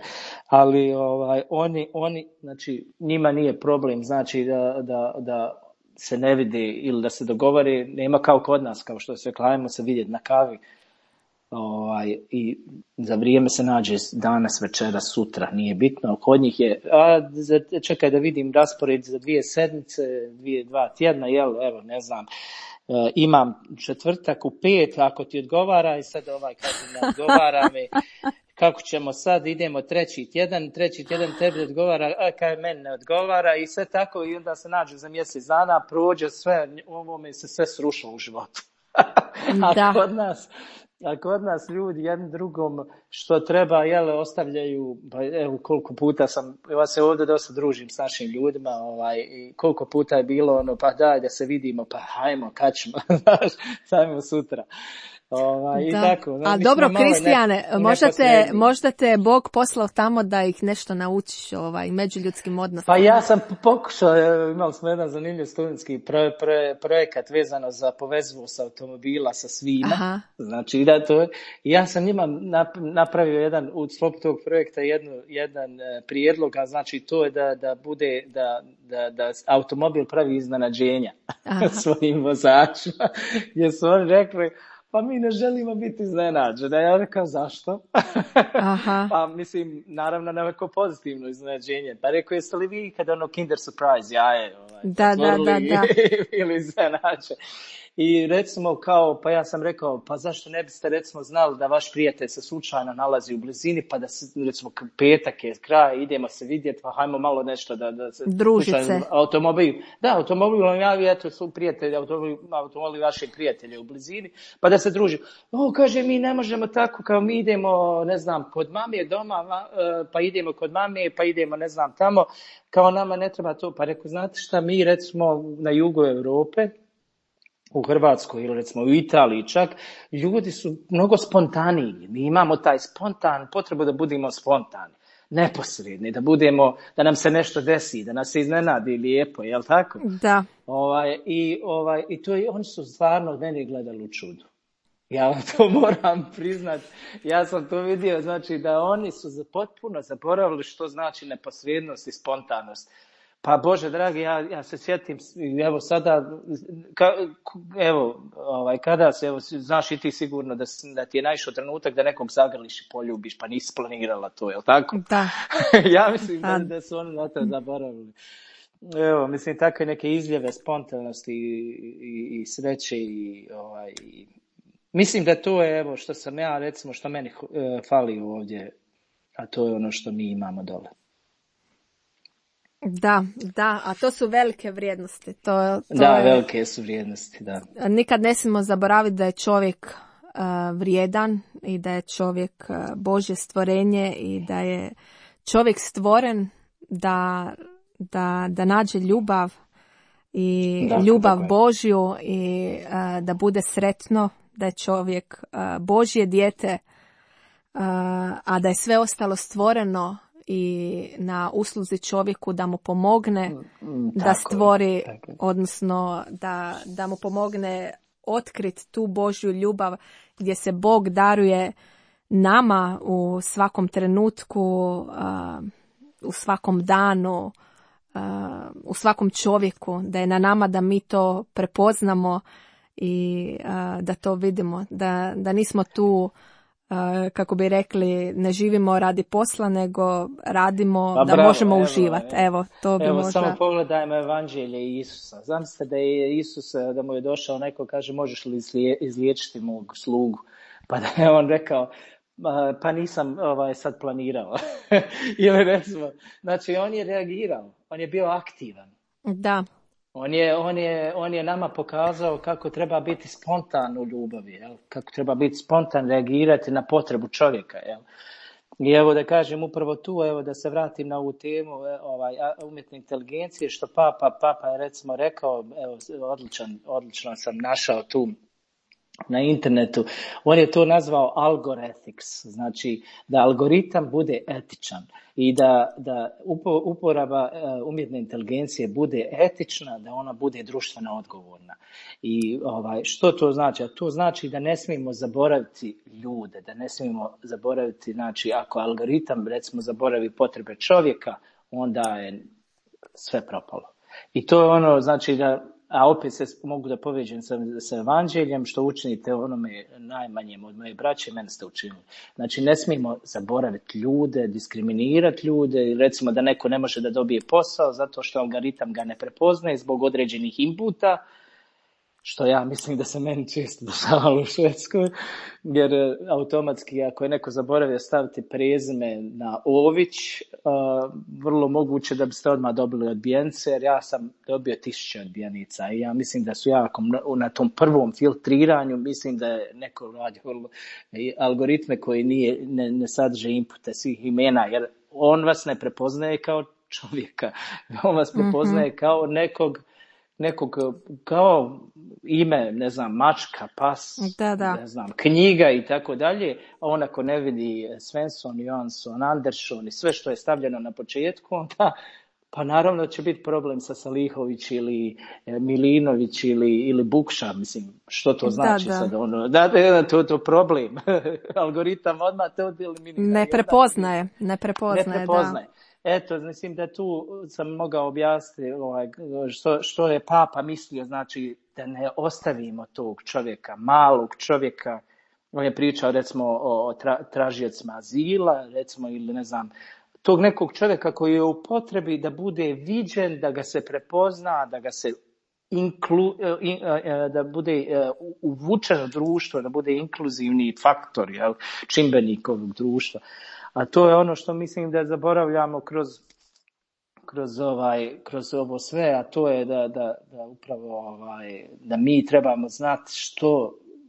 ali oni znači njima nije problem, znači da se ne vidi ili da se dogovori, nema kao kod nas, kao što se klavimo se vidjeti na kavi. I za vrijeme se nađe danas, večera, sutra, nije bitno. Kod njih je, čekaj da vidim raspored za 2 sedmice, 2 tjedna, evo, ne znam. Imam četvrtak u 5, ako ti odgovara, i sad kaže ne odgovara mi. Kako ćemo sad, idemo treći tjedan tebi odgovara, kaj meni ne odgovara, i sve tako, i onda se nađe za mjesec dana, prođe sve, ovo mi se sve srušilo u životu. A kod nas ljudi jednim drugom što treba, ostavljaju, pa evo koliko puta ja se ovdje dosta družim s našim ljudima, i koliko puta je bilo pa daj da se vidimo, pa hajmo, kad ćemo, sajmo sutra. I tako. A dobro, Kristijane, možda te Bog poslao tamo da ih nešto naučiš međuljudskim odnosima. Pa ja sam pokušao, imali smo jedan zanimljiv studentski projekat vezano za povezivost automobila sa svima. Aha. Znači, ja sam njima napravio u sklopu tog projekta jedan prijedlog, a znači to je da bude, da automobil pravi iznenađenja svojim vozačima, gdje su oni rekli, pa mi ne želimo biti iznenađeni. Ja rekao, zašto? Aha. Pa mislim, naravno, neko pozitivno iznenađenje. Pa rekao, jeste li vi kad Kinder Surprise jaje? Da. Ili iznenađe. I recimo pa ja sam rekao, pa zašto ne biste recimo znali da vaš prijatelj se slučajno nalazi u blizini, pa da se recimo petak je kraj, idemo se vidjeti, pa hajmo malo nešto da se družice. Automobil vam javi, eto su prijatelji, automobil vašeg prijatelja u blizini, pa da se druži. Kaže, mi ne možemo tako, kao mi idemo, ne znam, kod mame doma, pa idemo kod mame, pa idemo, ne znam, tamo, kao nama ne treba to. Pa rekao, znate šta, mi recimo na jugu Europe, u Hrvatskoj ili recimo u Italiji čak, ljudi su mnogo spontaniji. Mi imamo taj potrebu da budemo spontani, neposredni, da nam se nešto desi, da nas se iznenadi lijepo, jel tako? Da. I to oni su stvarno meni gledali u čudu. Ja vam to moram priznat. Ja sam to vidio, znači da oni su potpuno zaboravili što znači neposrednost i spontanost. Pa Bože dragi, ja se sjetim, evo sada, kada se, znaš i ti sigurno da ti je naišao trenutak da nekog zagrliš i poljubiš, pa nisi planirala to, jel tako? Da. Ja mislim da su oni na to zaboravili. Evo, mislim, takve neke izljeve spontanosti i sreće i mislim da to je, evo, što sam ja, recimo, što meni fali ovdje, a to je ono što mi imamo dole. Da, a to su velike vrijednosti. Velike su vrijednosti, da. Nikad ne smijemo zaboraviti da je čovjek vrijedan i da je čovjek Božje stvorenje i da je čovjek stvoren da nađe ljubav i ljubav Božju i da bude sretno, da je čovjek Božje dijete, a da je sve ostalo stvoreno i na usluzi čovjeku da mu pomogne da stvori, odnosno da mu pomogne otkriti tu Božju ljubav gdje se Bog daruje nama u svakom trenutku, u svakom danu, u svakom čovjeku, da je na nama da mi to prepoznamo i da to vidimo, da nismo tu, kako bi rekli, ne živimo radi posla, nego radimo da možemo uživati. Evo, to bi možda... Samo pogledajmo evanđelje Isusa. Zamislite da je Isus, da mu je došao neko, kaže, možeš li izliječiti mog slugu? Pa da je on rekao, pa nisam sad planirao. Ili recimo, znači on je reagirao, on je bio aktivan. Da. On je nama pokazao kako treba biti spontan u ljubavi, jel? Kako treba biti spontan, reagirati na potrebu čovjeka. Jel? I evo da kažem upravo tu, evo da se vratim na ovu temu umjetne inteligencije, što Papa je recimo rekao, evo odlično sam našao tu na internetu, on je to nazvao algorithmics, znači da algoritam bude etičan i da uporaba umjetne inteligencije bude etična, da ona bude društveno odgovorna. I što to znači? A to znači da ne smijemo zaboraviti ljude, da ne smijemo zaboraviti, znači ako algoritam recimo zaboravi potrebe čovjeka, onda je sve propalo. I to je ono, znači da a opet se mogu da povežem sa evanđeljem, što učinite onome najmanjem od moje braće, mene ste učinili. Znači, ne smijemo zaboraviti ljude, diskriminirati ljude, recimo da neko ne može da dobije posao zato što algoritam ga ne prepoznaje zbog određenih inputa, što ja mislim da se meni često dešavalo u Švedskoj, jer automatski ako je neko zaboravio staviti prezime na Ović, vrlo moguće da biste odmah dobili odbijence, jer ja sam dobio 1000 odbijenica i ja mislim da su jako na tom prvom filtriranju, mislim da je neko radio algoritme koji ne sadrže inpute svih imena, jer on vas ne prepoznaje kao čovjeka, on vas prepoznaje kao nekog kao ime, ne znam, mačka, pas, ne znam, knjiga i tako dalje, a on ako ne vidi Svensson, Johansson, Andersson i sve što je stavljeno na početku, onda pa naravno će biti problem sa Salihović ili Milinović ili Bukša, mislim, što to znači sad ono, to problem, algoritam odmah to eliminira. Ne prepoznaje. Eto, mislim da tu sam mogao objasniti što je Papa mislio, znači da ne ostavimo tog čovjeka, malog čovjeka. On je pričao recimo o tražiocima azila, recimo, ili ne znam, tog nekog čovjeka koji je u potrebi da bude viđen, da ga se prepozna, da ga se da bude uvučen u društvo, da bude inkluzivni faktor, čimbenik ovog društva. A to je ono što mislim da zaboravljamo kroz ovo sve, a to je da upravo da mi trebamo znati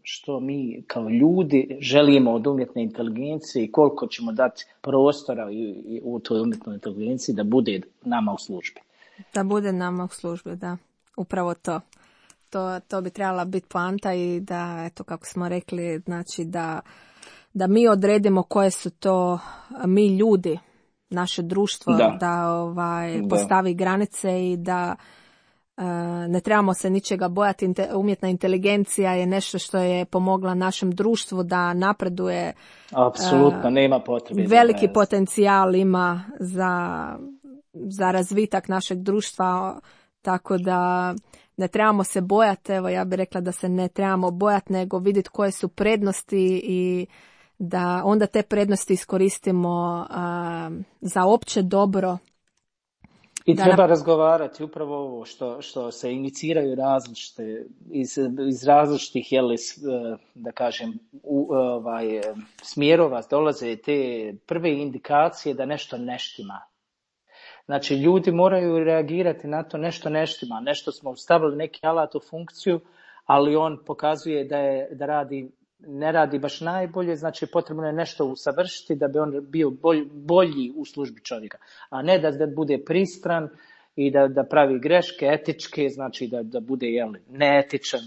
što mi kao ljudi želimo od umjetne inteligencije i koliko ćemo dati prostora u toj umjetnoj inteligenciji da bude nama u službi. Da bude nama u službi, da. Upravo to. To bi trebala biti poanta i da, eto kako smo rekli, znači da mi odredimo koje su to mi ljudi, naše društvo, da postavi granice i da ne trebamo se ničega bojati. Umjetna inteligencija je nešto što je pomogla našem društvu da napreduje. Apsolutno, nema potrebe. Veliki potencijal ima za razvitak našeg društva, tako da ne trebamo se bojati. Evo, ja bih rekla da se ne trebamo bojati, nego vidjeti koje su prednosti i da onda te prednosti iskoristimo za opće dobro. I treba razgovarati upravo ovo što se iniciraju različite, iz različitih, da kažem, smjerova dolaze te prve indikacije da nešto ne štima. Znači, ljudi moraju reagirati na to, nešto ne štima, nešto smo stavili neki alat u funkciju, ali on pokazuje ne radi baš najbolje, znači potrebno je nešto usavršiti da bi on bio bolji u službi čovjeka, a ne da bude pristran i da pravi greške etičke, znači da bude neetičan.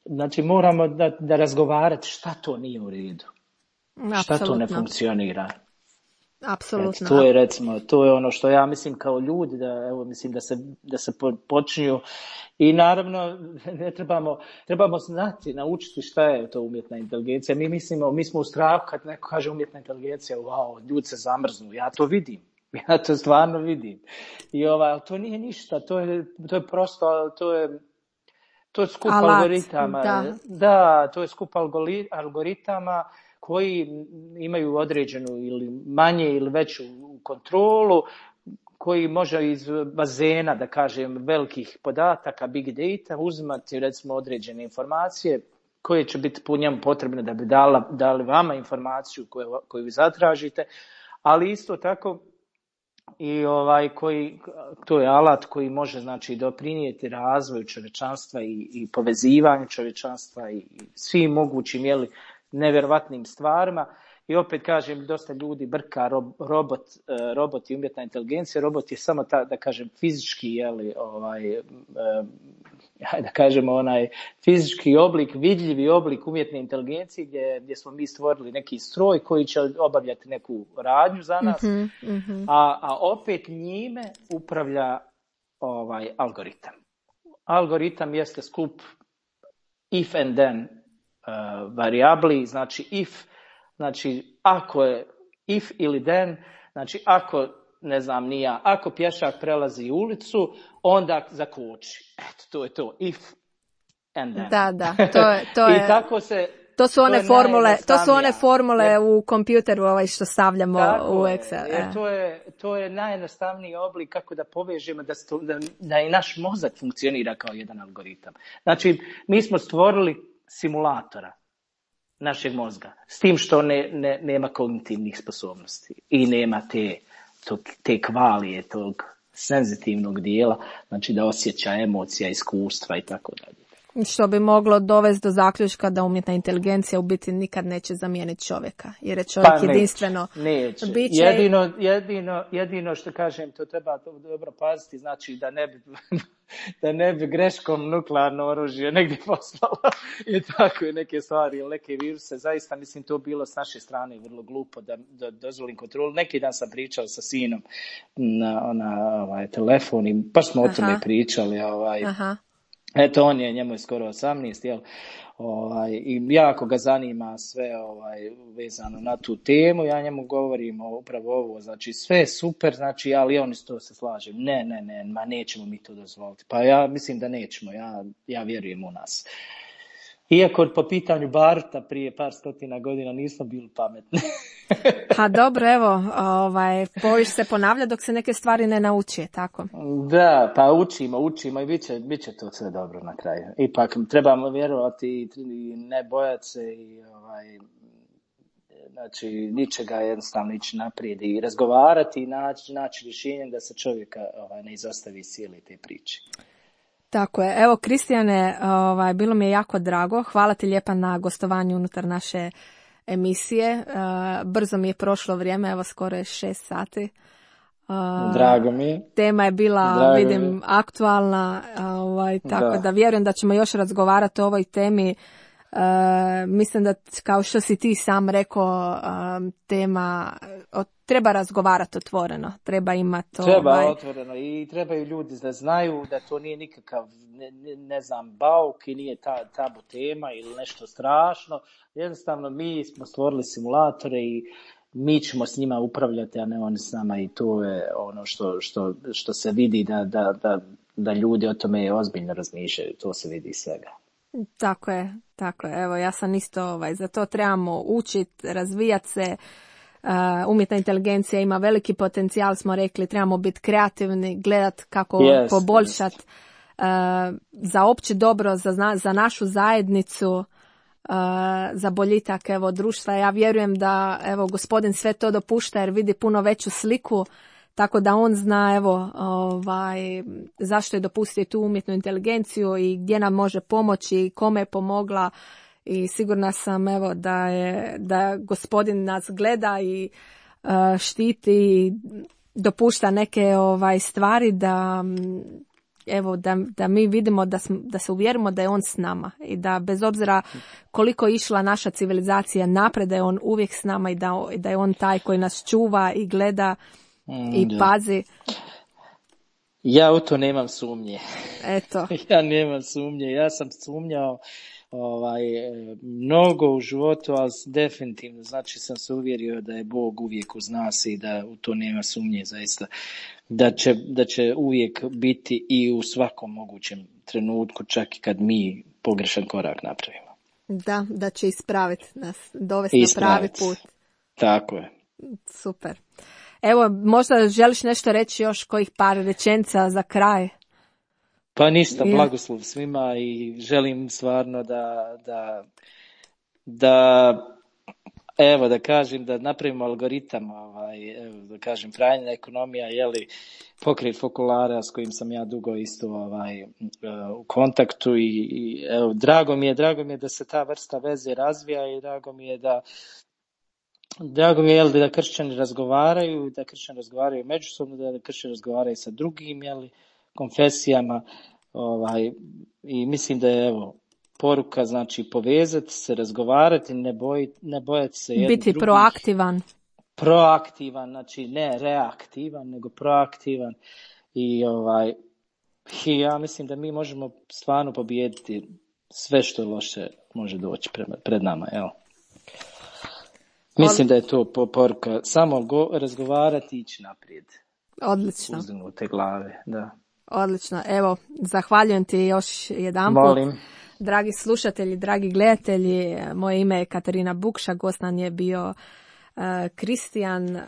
Znači moramo da razgovarati šta to nije u redu, šta to ne funkcionira. Apsolutno. To je recimo, to je ono što ja mislim kao ljudi, mislim da se počinju i naravno trebamo znati, naučiti šta je to umjetna inteligencija. Mi smo u strahu kad neko kaže umjetna inteligencija, wow, ljudi se zamrznu, ja to vidim. Ja to stvarno vidim. I to nije ništa, to je prosto, to je skup algoritama. Da, to je skup algoritama koji imaju određenu ili manje ili veću kontrolu, koji može iz bazena, da kažem, velikih podataka, big data, uzimati recimo određene informacije koje će biti po njemu potrebne da bi dali vama informaciju koju vi zatražite, ali isto tako i to je alat koji može, znači, doprinijeti razvoju čovječanstva i povezivanju čovječanstva i svim mogućim nevjerovatnim stvarima. I opet kažem, dosta ljudi brka robot i umjetna inteligencija. Robot je samo da kažem fizički, da kažemo onaj fizički oblik, vidljivi oblik umjetne inteligencije gdje smo mi stvorili neki stroj koji će obavljati neku radnju za nas, a opet njime upravlja algoritam. Algoritam jeste skup if and then varijabli, znači if, znači ako je if ili then, znači ako ne znam ni ja, ako pješak prelazi ulicu, onda zakoči. Eto, to je to. If and then. Da, to je. I tako se... To su one formule u kompjuteru što stavljamo u Excel. To je najjednostavniji oblik kako da povežemo da i naš mozak funkcionira kao jedan algoritam. Znači, mi smo stvorili simulatora našeg mozga, s tim što nema kognitivnih sposobnosti i nema te kvalije, tog senzitivnog dijela, znači da osjeća emocija, iskustva i tako dalje. Što bi moglo dovesti do zaključka da umjetna inteligencija u biti nikad neće zamijeniti čovjeka, jer je čovjek jedinstveno biće. Jedino što kažem, to treba dobro paziti, znači da ne bi greškom nuklearno oružje negdje poslalo i tako i neke stvari ili neke viruse. Zaista mislim to bilo s naše strane vrlo glupo da dozvolim kontrolu. Neki dan sam pričao sa sinom na telefon i baš smo o tome pričali. Eto, njemu je skoro 18, jel? I jako ga zanima sve vezano na tu temu. Ja njemu govorim upravo ovo, znači sve je super, znači, ali on isto se slaže. Ne, nećemo mi to dozvoliti. Pa ja mislim da nećemo, ja vjerujem u nas. Iako po pitanju Baruta prije par stotina godina nismo bili pametni. Pa dobro, evo, povijest se ponavlja dok se neke stvari ne nauči, tako? Da, pa učimo i bit će to sve dobro na kraju. Ipak trebamo vjerovati i ne bojati se i znači ničega jednostavno ići naprijed i razgovarati i naći rješenje da se čovjeka ne izostavi cijele te priče. Tako je. Evo, Kristijane, bilo mi je jako drago. Hvala ti lijepa na gostovanju unutar naše emisije. Brzo mi je prošlo vrijeme, evo skoro je 6 sati. Drago mi je. Tema je bila, vidim, aktualna, tako da vjerujem da ćemo još razgovarati o ovoj temi. Mislim da, kao što si ti sam rekao, tema treba razgovarati otvoreno, treba imati otvoreno i trebaju ljudi da znaju da to nije nikakav ne znam bauk i nije tabu tema ili nešto strašno. Jednostavno mi smo stvorili simulatore i mi ćemo s njima upravljati, a ne oni s nama, i to je ono što se vidi da ljudi o tome ozbiljno razmišljaju, to se vidi svega. Tako je. Evo, ja sam isto za to trebamo učiti, razvijati se. Umjetna inteligencija ima veliki potencijal, smo rekli, trebamo biti kreativni, gledati kako poboljšati za opće dobro, za našu zajednicu, za boljitak društva. Ja vjerujem da Gospodin sve to dopušta jer vidi puno veću sliku, tako da on zna zašto je dopustio tu umjetnu inteligenciju i gdje nam može pomoći i kome je pomogla. I sigurna sam da Gospodin nas gleda i štiti i dopušta neke stvari da mi vidimo, da se uvjerimo da je on s nama i da bez obzira koliko je išla naša civilizacija napred, da je on uvijek s nama i da je on taj koji nas čuva i gleda i pazi. Ja u to nemam sumnje. Eto. Ja nemam sumnje. Ja sam sumnjao mnogo u životu, ali definitivno, znači sam se uvjerio da je Bog uvijek uz nas i da u to nema sumnje zaista. Da će uvijek biti i u svakom mogućem trenutku, čak i kad mi pogrešan korak napravimo. Da će ispraviti nas, dovesti na pravi put. Tako je. Super. Evo, možda želiš nešto reći još, kojih par rečenica za kraj? Pa ništa, blagoslov svima i želim stvarno da kažem da napravimo algoritam, da kažem Franjina ekonomija, pokret Fokulara s kojim sam ja dugo isto u kontaktu i evo, drago mi je da se ta vrsta veze razvija i drago mi je da kršćani razgovaraju, međusobno, da kršćani razgovaraju sa drugim, konfesijama, i mislim da je poruka, znači povezati se, razgovarati, ne bojati se jedni biti drugih. Proaktivan, znači ne reaktivan, nego proaktivan i ja mislim da mi možemo stvarno pobijediti sve što loše može doći pred nama, Mislim da je to poruka, samo razgovarati i ići naprijed. Odlično. uzdignute glave. Da. Odlično. Evo, zahvaljujem ti još jedanput. Molim. Dragi slušatelji, dragi gledatelji, moje ime je Katarina Bukša, gost nam je bio Kristijan,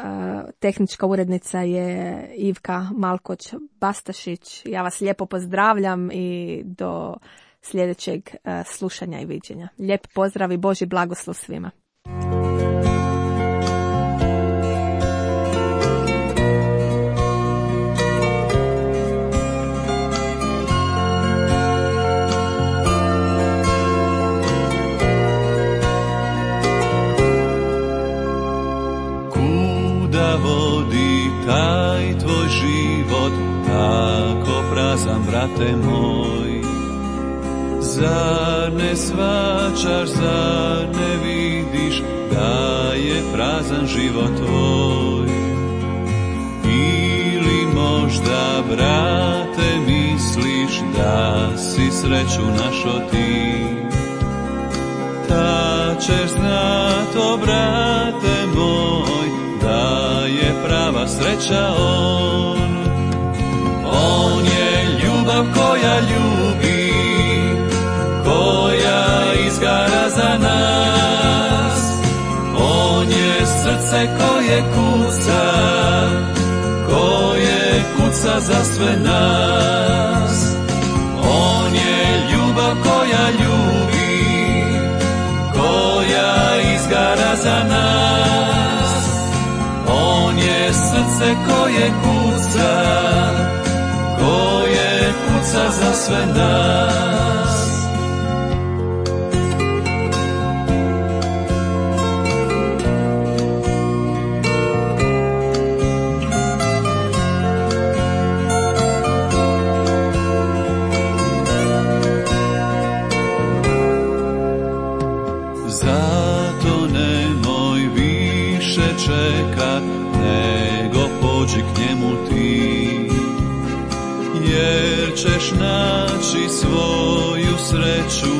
tehnička urednica je Ivka Malkoć-Bastašić. Ja vas lijepo pozdravljam i do sljedećeg slušanja i viđenja. Lijep pozdrav i Božji blagoslov svima. Taj tvoj život tako prazan, brate moj. Zar ne shvaćaš, zar ne vidiš da je prazan život tvoj? Ili možda, brate, misliš da si sreću našo ti? Ta ćeš znat, o brate moj, da je prava sreća on. On je ljubav koja ljubi, koja izgara za nas. On je srce koje kuca za sve nas. On je ljubav koja ljubi, koja izgara za nas. On je srce koje kuca za sve nas. Zato nemoj više čekat, nego pođi k njemu ti, jer ćeš naći svoju sreću,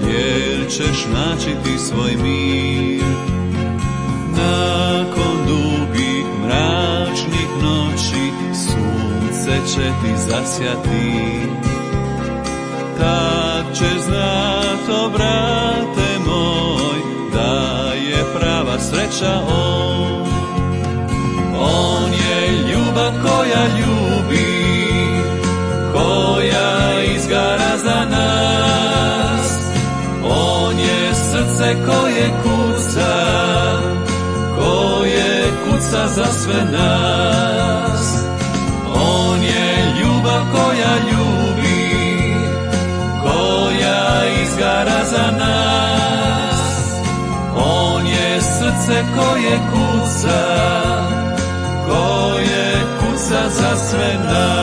jer ćeš naći ti svoj mir. Nakon dugih mračnih noći sunce će ti zasjati. Tad ćeš znat, o brate moj, da je prava sreća on. On je ljubav koja ljubi, koja izgara za nas. On je srce koje kuca za sve nas. On je ljubav koja ljubi, koja izgara za nas. On je srce koje kuca za sve nas.